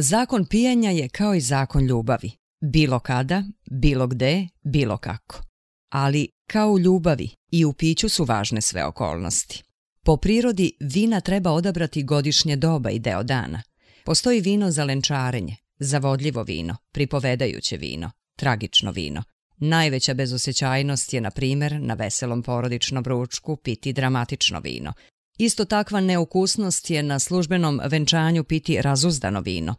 Zakon pijenja je kao i zakon ljubavi. Bilo kada, bilo gde, bilo kako. Ali, kao u ljubavi, i u piću su važne sve okolnosti. Po prirodi vina treba odabrati godišnje doba i deo dana. Postoji vino za lenčarenje, zavodljivo vino, pripovedajuće vino, tragično vino. Najveća bezosjećajnost je, na primjer, na veselom porodičnom ručku piti dramatično vino. Isto takva neukusnost je na službenom venčanju piti razuzdano vino.